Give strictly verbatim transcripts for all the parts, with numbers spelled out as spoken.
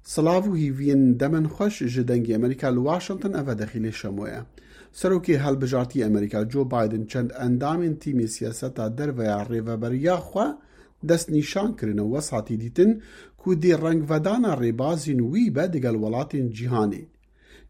Silav û hîviyên demen xweş ji Dengê Amerîka li Washington, eve Dexîlê Şemo ye. Serokê Hilbijartî Amerîka Joe Biden çend endamên tîmê siyaseta derve ya rêveberiya xwe destnîşan kirine û wesatî dîtin ku dê rengvedana rêbazên wî be digel welatên cîhanê.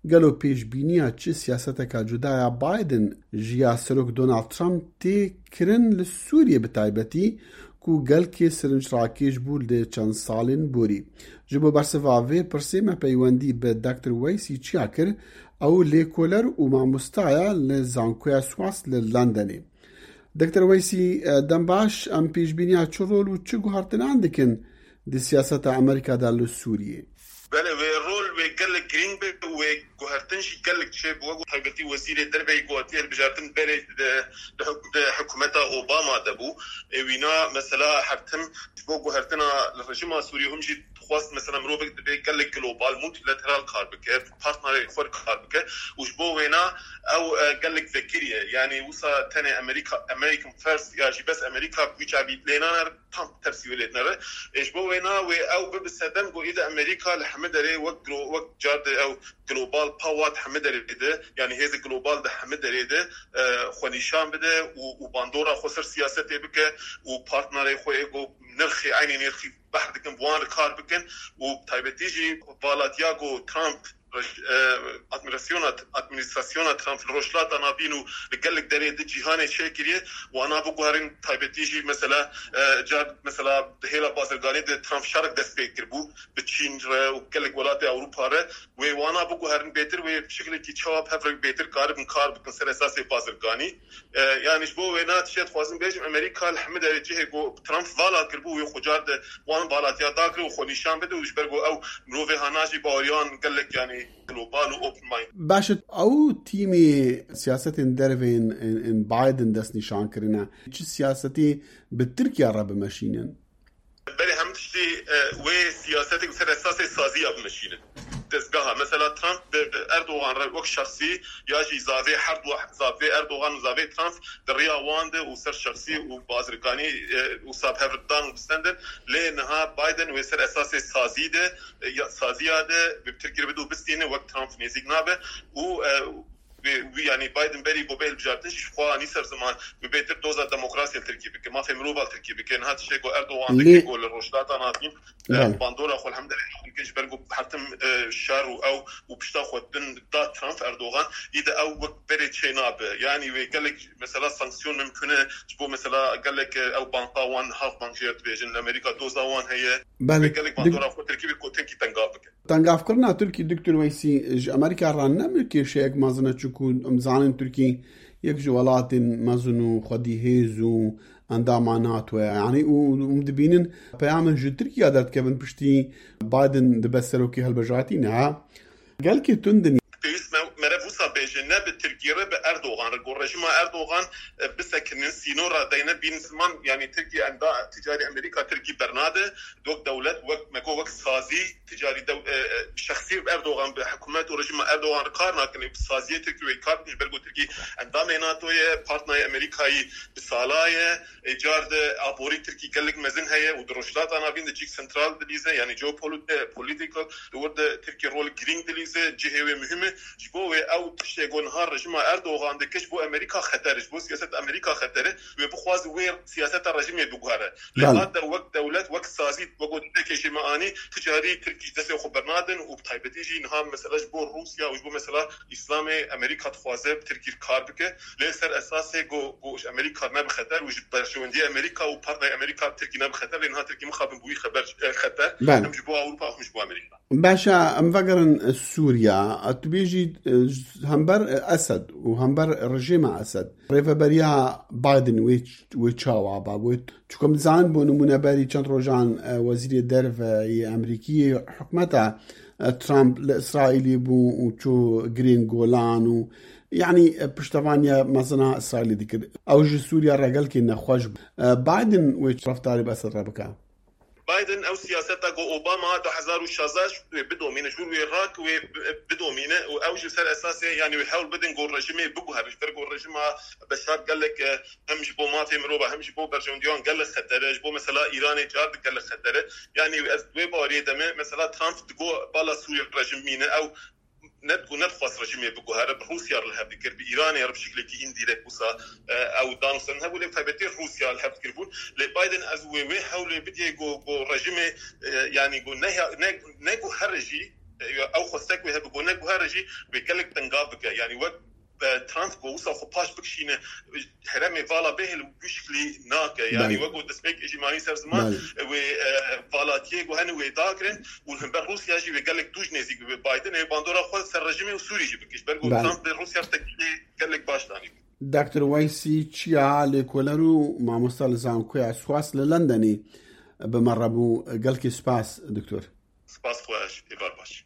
Gelo pêşbîniya çi siyaseteka cuda ya Biden ji ya Serok Donald Trump tê kirin li Sûriyê bi taybetî ku gelkê sirinc rakêş bû li çend salên borî? Ji bo bersiva vê pirsê me peywendî bi Doktor Weysî Çiya kir, ew lêkoler û mamosta ye li Zankoya Swansea li Londonê. Doktor Weysî, e, dem baş, em pêşbîniya çi rol û çi guhertinan dikin di siyaseta Amerîka de li Sûriyê? Belê, wê rol wê gelek girîng be û wê guhertin jî gelek çêbû. Wek taybetî wezîrê derve yê ku hatiye hilbijartin berê di, di huk-, di hikûmeta Obama de bû. Ê wîna mesela her tim ji bo guhertina li rejîma Sûriyê hûn jî dixwest mesela mirovek divê gelek global, multilateral kar bike, partnerê xwe kar bike û ji bo wêna ew, e, gelek vekirî ye. Yanî wisa tenê Amerîka, American First ya jî bes Amerîka wî çavî lê nane, tam tersî wê lê dinere. Ê, ji bo wêna wê ew bibe sedem ku îde Amerîka li hemî derê wek glo-, wek car de ew global power di hemî derê de, yanî hêzê global di hemî derê de, e, xwe nîşan bide û, û bandora xwe ser siyasetê bike û partnerê xwe ê ku nirxê, eynî nirxî behr dikin, bi wan re kar bikin û taybetî jî valatiya ku Trump roj-, e, administrasyona, administrasyona Trump li Rojhilata Navîn û li gelek derê di cîhanê çêkiriye, wana biguherin, taybetî jî mesela, e, car mesela di hêla bazirganî de Trump şerek dest pê kiribû bi Çîn re û gelek welatê Ewropa re. Wê wana biguherin bêtir, wê şiklekî çawa bi hev re bêtir karibin kar bikin ser esasê bazirganî. E, yanî ji bo wêna tiştê dixwazim bêjim, Amerîka li hemî derê cihê ku Trump vala kiribû, wê xwe car de wan valatiya dakir û xwe nîşan bide û ji ber ku ew mirovê hana jî baweriyan gelek, yanî global û open mind. Baş e, ew tîmê siyasetên derve yên, yên, yên Biden destnîşan kirine. Çi siyasetê bi Tirkiye re bimeşînin? Berê hemî tiştî, e, wê siyasetek ser esasê saziya bimeşînin. Dezgeha, mesela Trump bi Erdogan re wek şexsî ya jî zavê her du, zavê Erdogan û zavê Trump di riya wan de û ser şexsî û bazirganî, e, û sab hev dan û distendin. Lê niha Biden wê ser esasê sazî de, e, ya, saziya de bi Tirkî re bide û bistîne, wek Trump nêzîk nabe û, e, Wê, wî, yanî Biden berî ku bê hilbijartin jî ji xwe anî ser ziman, wî bêtir doza demokrasiyê li Tirkî bike, mafê mirovan li Tirkî bike. Niha tiştê ku Erdogan Lê dike ku li Rojhilata Navîn, e, Belê. bandora xwe li hemî derê bike, ji ber ku her tim, e, şer û ew û pişta xwe din da Trump Erdogan, î de ew wek berê çê nabe. Yanî wê gelek mesela sanksiyon mimkun e, ji bo mesela gelek, e, ew banka wan, Halkbank jê re dibêjin, li Amerîka doza wan heye. Belê. Wê gelek Dik- bandora xwe Tirkî bike ku Tirkî tengav bike. Tengavkirina Tirkî, Doktor Weysî, ji Amerîka re ne bi kêşeyek mezin e, çunku em zanin Tirkî yek ji welatên mezin û xwedî hêz û endama NATO ye. Yanî û, û em dibînin peyamên ji Tirkiye derdikevin piştî Biden dibe serokê hilbijartî niha. Gelkê tund in. Pêwîst me, meriv wisa bêje, ne bi Tirkî re, bi Erdogan re. Ku rejîma Erdogan, e, bisekinin, sînora deyne, bînin ziman, yanî Tirkî enda ticarî Amerîka Tirkî bernade, wek dewlet, wek me got, wek sazî, ticarî dew-, e, e, şexsî Erdogan bi hikûmet û rejîma Erdogan re kar nakin, bi saziyê Tirkî wê kar bikin, ji ber ku Tirkî endamê NATO ye, partnerê Amerîkayî bi sala ye, ê car de aborî Tirkî gelek mezin heye û di Rojhilata Navîn de cîk sentral dilîze, yanî geopolit-, e, political, di wir de Tirkî rol girîng dilîze, cihê wê muhim e. Ji bo wê ew tiştê ku niha rejîma Erdogan dike ji bo Amerîka xeter e, ji bo siyaseta Amerîka xeter e, wê bixwaze wê siyaseta rejîmê biguhere. Lê Belê. hat de wek dewlet, wek sazî, wek ku dînekê jî me anî, ticarî Tirkî ji destê xwe bernadin û bi taybetî jî niha mesela ji bo Rûsya û ji bo mesela Îslamê Amerîka dixwaze bi Tirkî kar bike. Lê ser esasê ku, ku ji Amerîka ne bi xeter û ji berjewendiyê Amerîka û partnerê Amerîka bi Tirkî ne bi xeter, lê niha Tirkî mixabin bûyî xeber, e, xeter, Belê. hem ji bo Ewropa û hem ji bo Amerîka. Baş e, em vegerin, e, Sûriya. Tu bêjî, e, hember, e, Esed û hember rejîma Esed. Rêveberiya Biden wê, wê çawa ba? Wê, çunku em dizanin, bo nimûne berî çend rojan, e, wezîrê derve yê Amerîkî, hikûmeta, e, Trump li Îsraîlê bû û çû girên Golan û, yanî, e, piştevaniya mezina Îsraîlê dikir. Ew ji Sûriya re gelkî nexweş bû. E, Biden wê çi reftarî bi Esed re bike? Biden ew siyaseta ku Obama du hezar û şazdeh wê bidomîne, ji wir wê rak wê bi- bidomîne û ew ji ser esasê, yanî wê hewl bidin ku rejimê biguhere, ji ber ku rejima Beşar gelek e, hem ji bo mafê mirova hem ji bo berjewendiyan gelek xeter e, ji bo mesela Îranê car di gelek xeter e. Yanî ez wê bariyê de me mesela Trump digo bala Sûrî rejim mîne ew ne ku nedixwast rejimê biguhere, bi Rûsya re li hev dikir, bi Îranê re bi şiklekî indirek wisa e, ew danûstan hebû, lê taybetî Rûsya li hev dikir bûn. Lê Biden ez wê wê hewlê bidiyê ku ku rejimê e, yanî ku ne ne ne ku here jî e, ew xwestek wê hebe ku ne ku here jî wê gelek tengav bike. Yanî wek e, Trump ku wisa xwe paş bikişîne herêmê vala bêhil û bi şiklî nake. Yanî Belê. Wek ku destpêk jî mayî ser ziman Belê. Wê e, valatiyê ku hene wê dakirin û li hember Rûsya jî wê gelek dûj nêzîk bibe Biden. Ê bandora xwe ser rejimê û Sûrî jî bike. Ji ber ku Belê. Trump li Rûsya teklîfê gelek baş danî. Doktor Weysî Çiya, lêkoler û mamosta li zankoya Swas li Londonê bi me re bû. Gelkî spas, doktor. Spas xwe